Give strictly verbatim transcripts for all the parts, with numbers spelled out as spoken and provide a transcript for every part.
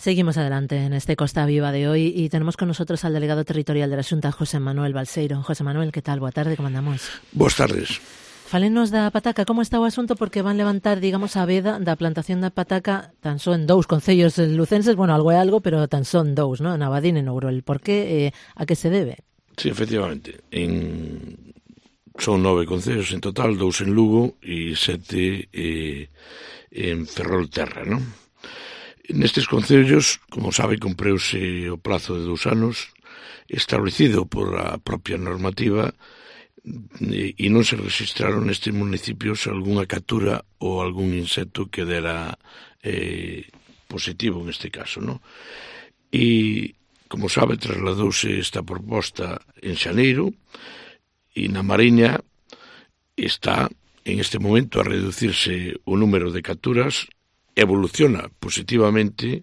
Seguimos adelante en este Costa Viva de hoy y tenemos con nosotros al delegado territorial de la Xunta, José Manuel Balseiro. José Manuel, ¿qué tal? Boa tarde, como andamos? Boas tardes. Falenos da pataca, como está o asunto? Porque van levantar, digamos, a veda da plantación da pataca tan só en dous concellos lucenses, bueno, algo é algo, pero tan só en dous, ¿no? En Abadín e Nourol. Por que, eh, a que se debe? Sí, efectivamente. En... Son nove concellos en total, dous en Lugo e sete eh, en Ferrolterra, non? Nestes concellos, como sabe, cumpreuse o plazo de dous anos establecido por a propia normativa e non se registraron nestes municipios algunha captura ou algún insecto que dera eh, positivo neste caso, non? E, como sabe, trasladouse esta proposta en xaneiro e na Mariña está en este momento a reducirse o número de capturas, evoluciona positivamente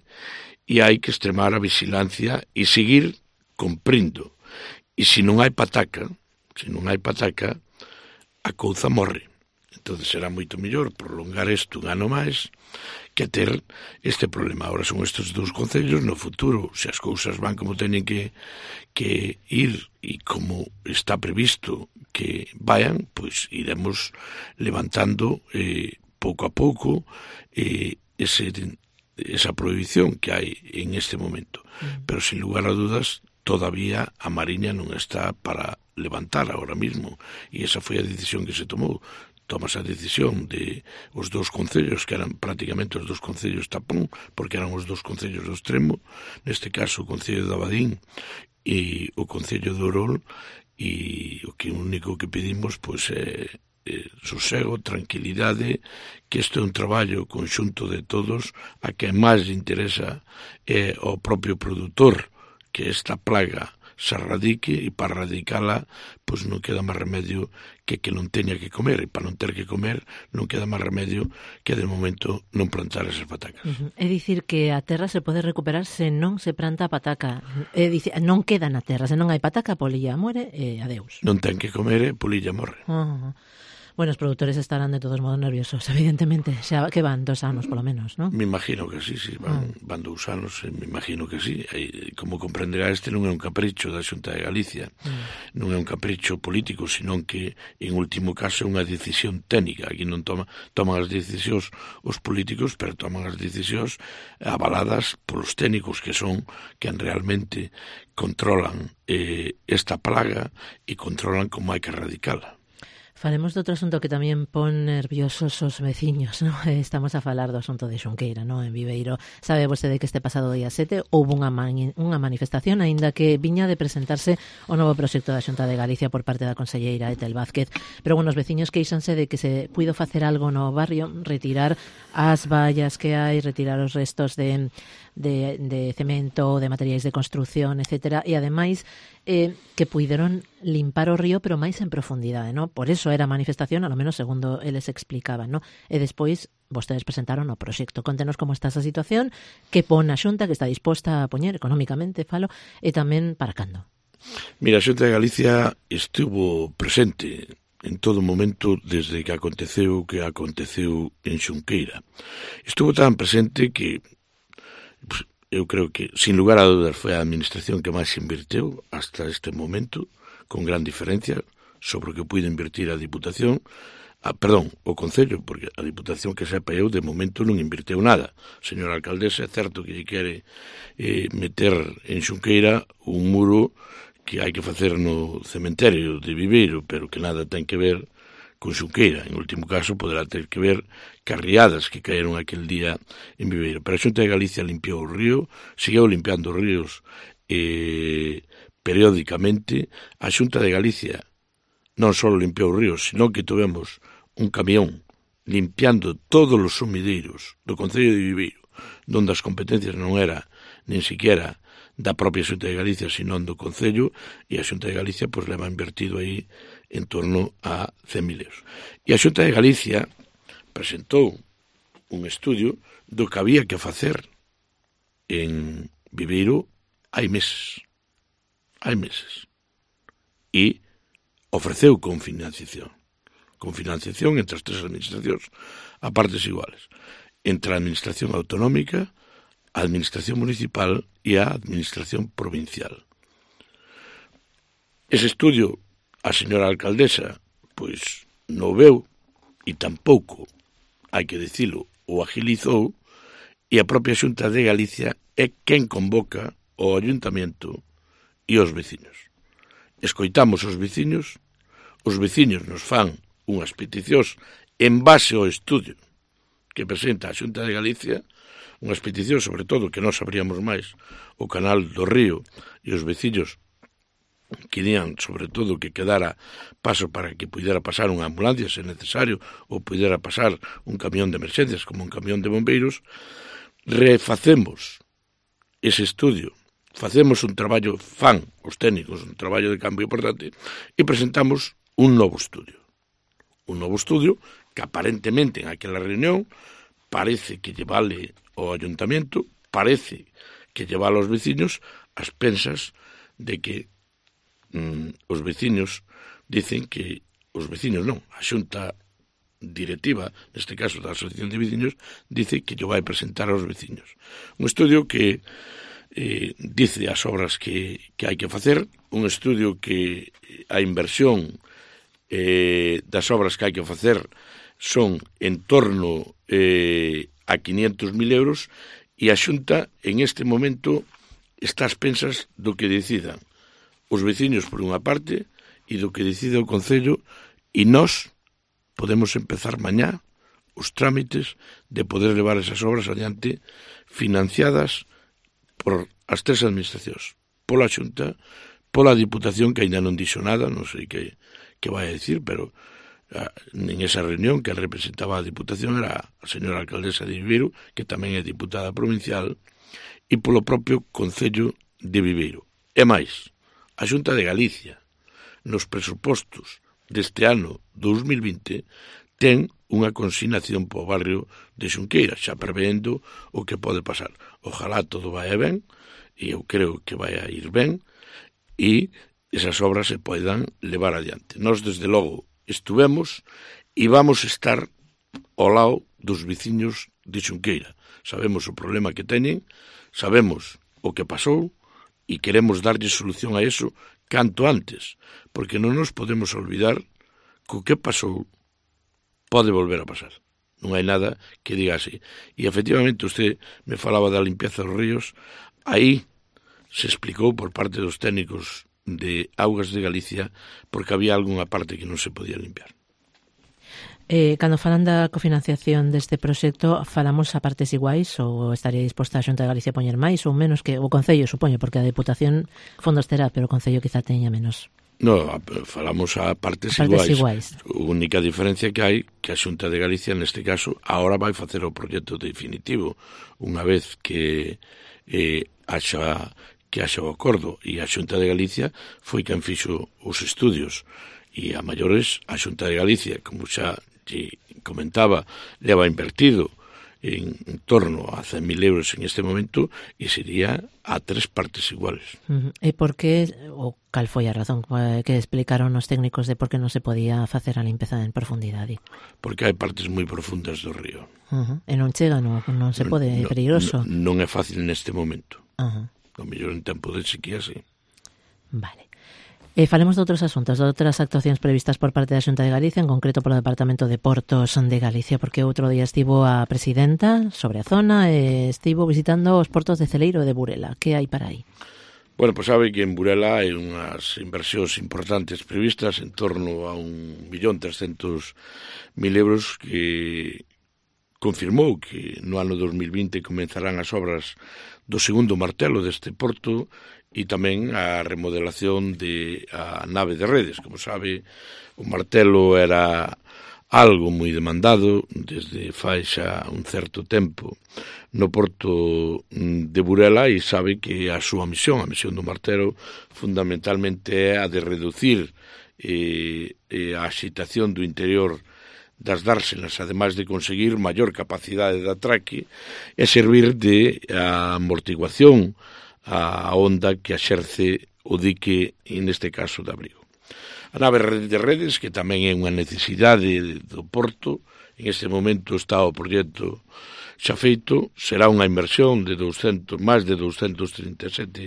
e hai que extremar a vigilancia e seguir cumprindo. E se non hai pataca, se non hai pataca, a couza morre. Entón será moito mellor prolongar isto un ano máis que ter este problema. Ahora son estes dous concellos, no futuro, se as cousas van como teñen que, que ir e como está previsto que vayan, pois iremos levantando eh, pouco a pouco eh, ese, esa prohibición que hai en este momento. Mm. Pero, sin lugar a dudas, todavía a Mariña non está para levantar ahora mismo. E esa foi a decisión que se tomou. Tomas a decisión de os dous concellos, que eran prácticamente os dous concellos tapón, porque eran os dous concellos do extremo, neste caso o concello de Abadín e o concello de Orol, e o que único que pedimos pois é eh, sosego, tranquilidade, que isto é un traballo conxunto de todos, a que máis interesa é o propio produtor que esta plaga se radique, e para radicala pois non queda máis remedio que que non teña que comer, e para non ter que comer non queda máis remedio que de momento non plantar esas patacas. Uh-huh. É dicir que a terra se pode recuperar se non se planta a pataca, é dicir, non queda na terra, se non hai pataca, a polilla muere e adeus. Non ten que comer e polilla morre. Uh-huh. Bueno, os produtores estarán de todos modos nerviosos, evidentemente, xa que van dos anos polo menos, non? Me imagino que sí, sí, van, mm. van dous anos, me imagino que sí. E, como comprenderá, este non é un capricho da Xunta de Galicia, mm. non é un capricho político, senón que, en último caso, é unha decisión técnica. Aquí non toma, toman as decisións os políticos, pero toman as decisións avaladas polos técnicos que son, que realmente controlan eh, esta plaga e controlan como hai que erradicala. Falemos de outro asunto que tamén pon nerviosos os veciños, ¿no? Estamos a falar do asunto de Xunqueira, ¿no? En Viveiro. Sabe vostede que este pasado día sete houve unha, mani, unha manifestación, aínda que viña de presentarse o novo proxecto da Xunta de Galicia por parte da conselleira Etel Vázquez. Pero, bueno, os veciños queixanse de que se puido facer algo no barrio, retirar as vallas que hai, retirar os restos de, de, de cemento, de materiais de construción, etcétera, e ademais eh, que puideron limpar o río, pero máis en profundidade, ¿no? Por eso era a manifestación, a lo menos segundo eles explicaban, ¿no? E despois vostedes presentaron o proxecto. Contenos como está esa situación, que pon a Xunta, que está disposta a poñer económicamente, falo, e tamén para cando. Mira, a Xunta de Galicia estivo presente en todo momento desde que aconteceu o que aconteceu en Xunqueira. Estuvo tan presente que pues, eu creo que, sin lugar a dúdas, foi a administración que máis invirteu hasta este momento, con gran diferencia sobre o que puido invertir a Diputación, a, perdón, o Concello, porque a Diputación que sepa eu, de momento non invirteu nada. Señora alcaldesa, é certo que lle quere eh, meter en Xunqueira un muro que hai que facer no cementerio de Viveiro, pero que nada ten que ver con Xunqueira. En último caso, poderá ter que ver carriadas que caeron aquel día en Viveiro. Pero a Xunta de Galicia limpiou o río, seguiu limpiando os ríos eh, periódicamente. A Xunta de Galicia non só limpiou os ríos, sino que tivemos un camión limpiando todos os sumideiros do Concello de Viveiro, donde as competencias non era nin siquiera da propia Xunta de Galicia, sino do Concello, e a Xunta de Galicia pois leva invertido aí en torno a cen mil euros. E a Xunta de Galicia presentou un estudio do que había que facer en Viveiro hai meses. Hai meses. E ofreceu con financiación. Con financiación entre as tres administracións a partes iguales. Entre a administración autonómica, a Administración Municipal e a Administración Provincial. Ese estudio, a señora alcaldesa, pois, non veu, e tampouco, hai que dicilo, o agilizou, e a propia Xunta de Galicia é quen convoca o Ayuntamento e os veciños. Escoitamos os veciños, os veciños nos fan unhas peticións en base ao estudio que presenta a Xunta de Galicia, unhas peticións, sobre todo, que non sabríamos máis, o canal do Río, e os veciños querían, sobre todo, que quedara paso para que pudera pasar unha ambulancia, se necesario, ou pudera pasar un camión de emerxencias, como un camión de bombeiros. Refacemos ese estudio, facemos un traballo, fan os técnicos, un traballo de cambio importante, e presentamos un novo estudio. Un novo estudio que aparentemente en aquela reunión parece que lle vale ao Ayuntamento, parece que lle vale aos veciños, as pensas de que mm, os veciños dicen que, os veciños non, a xunta directiva, neste caso da Asociación de Veciños, dice que lle vai presentar aos veciños. Un estudio que eh, dice as obras que, que hai que facer, un estudio que a inversión eh, das obras que hai que facer son en torno eh, a quinientos mil euros, e a Xunta en este momento está ás pensas do que decidan os veciños por unha parte e do que decida o Concello, e nós podemos empezar mañá os trámites de poder levar esas obras adiante financiadas por as tres administracións, pola Xunta, pola Diputación, que ainda non dixo nada, non sei que, que vai a dicir, pero en esa reunión que representaba a Diputación era a señora alcaldesa de Viveiro, que tamén é diputada provincial, e polo propio Concello de Viveiro. E máis, a Xunta de Galicia, nos presupostos deste ano dous mil vinte, ten unha consignación para o barrio de Xunqueira, xa prevendo o que pode pasar. Ojalá todo vai ben, e eu creo que vai a ir ben, e esas obras se poidan levar adiante. Nós, desde logo, estuvemos e vamos estar ao lado dos veciños de Xunqueira. Sabemos o problema que teñen, sabemos o que pasou e queremos darlle solución a eso canto antes, porque non nos podemos olvidar que o que pasou pode volver a pasar. Non hai nada que diga así. E, efectivamente, usted me falaba da limpieza dos ríos. Aí se explicou por parte dos técnicos de Augas de Galicia porque había algunha parte que non se podía limpiar. Eh, cando falan da cofinanciación deste proxecto, falamos a partes iguais ou estaría disposta a Xunta de Galicia a poñer máis ou menos que o Concello, supoño, porque a Deputación fondos terá, pero o Concello quizá teña menos. No, falamos a partes, a partes iguais. iguais. A única diferencia que hai que a Xunta de Galicia, neste caso, agora vai facer o proxecto definitivo, unha vez que eh, haxa que haxa o acordo, e a Xunta de Galicia foi quen fixo os estudios, e a maiores a Xunta de Galicia, como xa lle comentaba, leva invertido en, en torno a cen mil euros en este momento, e sería a tres partes iguales. Uh-huh. E por que, ou cal foi a razón que explicaron os técnicos de por que non se podía facer a limpeza en profundidade? Porque hai partes moi profundas do río. Uh-huh. E non chega, non, non se pode, é peligroso. Non, non é fácil neste momento. Uh-huh. O mellor en tempo de sequía, sí. Vale. Eh, falemos de outros asuntos, de outras actuacións previstas por parte da Xunta de Galicia, en concreto polo Departamento de Portos de Galicia, porque outro día estivo a presidenta sobre a zona e estivo visitando os portos de Celeiro e de Burela. Que hai para aí? Bueno, pois sabe que en Burela hai unhas inversións importantes previstas en torno a un millón trescentos mil euros que confirmou que no ano dos mil vinte comenzarán as obras do segundo martelo deste porto e tamén a remodelación de a nave de redes. Como sabe, o martelo era algo moi demandado desde fai xa un certo tempo no porto de Burela, e sabe que a súa misión, a misión do martelo, fundamentalmente é a de reducir eh, eh, a axitación do interior das dársenas, ademais de conseguir maior capacidade de atraque e servir de amortiguación a onda que axerce o dique, neste caso, de Abrigo. A nave de redes, que tamén é unha necesidade do porto, en este momento está o proxecto xa feito, será unha inversión de doscientos, máis de doscientos trinta e sete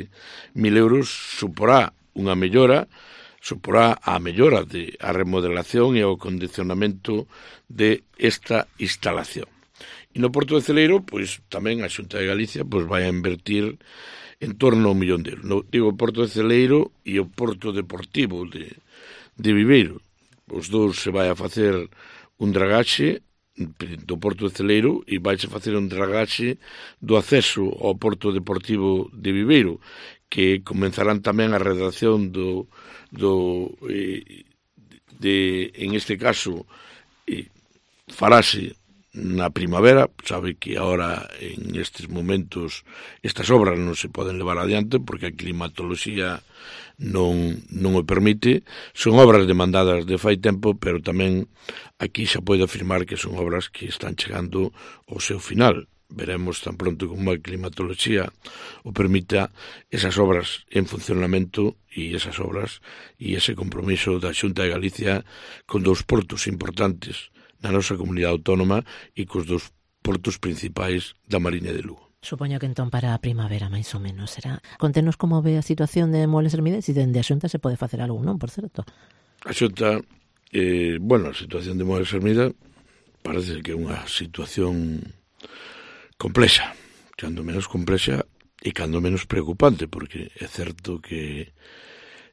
mil euros, suporá unha mellora, suporá a mellora de a remodelación e o condicionamento de esta instalación. E no Porto de Celeiro, pois tamén a Xunta de Galicia pois vai a invertir en torno a un millón de euros. No, digo, o Porto de Celeiro e o Porto Deportivo de, de Viveiro. Os dous se vai a facer un dragaxe do Porto de Celeiro e vai a facer un dragaxe do acceso ao Porto Deportivo de Viveiro, que comenzarán tamén a redacción do, do eh, de, en este caso, eh, farase na primavera. Sabe que ahora en estes momentos estas obras non se poden levar adiante porque a climatoloxía non, non o permite. Son obras demandadas de fai tempo, pero tamén aquí xa podo afirmar que son obras que están chegando ao seu final. Veremos tan pronto como a climatoloxía o permita esas obras en funcionamento e esas obras e ese compromiso da Xunta de Galicia con dous portos importantes na nosa comunidade autónoma e cos dos portos principais da Mariña de Lugo. Supoño que entón para a primavera, máis ou menos, será. Contenos como ve a situación de Muebles Hermida e se dende a Xunta se pode facer algo, non, por certo? A Xunta, eh, bueno, a situación de Muebles Hermida parece que é unha situación complexa, cando menos complexa e cando menos preocupante, porque é certo que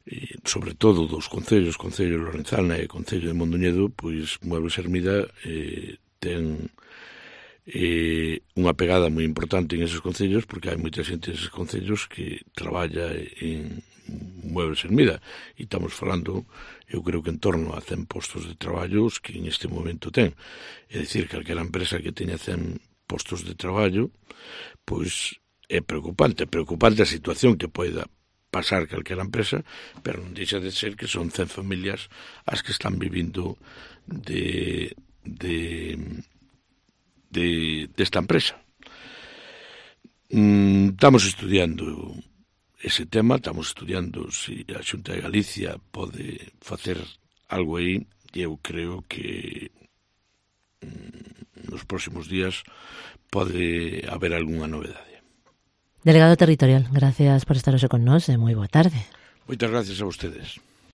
e, sobre todo dos concellos, Concello de Lorenzana e Concello de Mondoñedo, pois Muebles Hermida eh, ten eh, unha pegada moi importante en esos concellos, porque hai moita xente neses concellos que traballa en Muebles Hermida, e estamos falando, eu creo que en torno a cen postos de traballos que en este momento ten. É dicir, calquera empresa que teña cen postos de traballo, pois é preocupante, é preocupante a situación que poida pasar calquera empresa, pero non deixa de ser que son cen familias as que están vivindo de, de, de desta empresa. Mm, estamos estudiando ese tema, estamos estudiando se si a Xunta de Galicia pode facer algo aí, e eu creo que mm, nos próximos días pode haber algunha novedade. Delegado territorial, gracias por estar hoxe con nós e moi boa tarde. Moitas gracias a vostedes.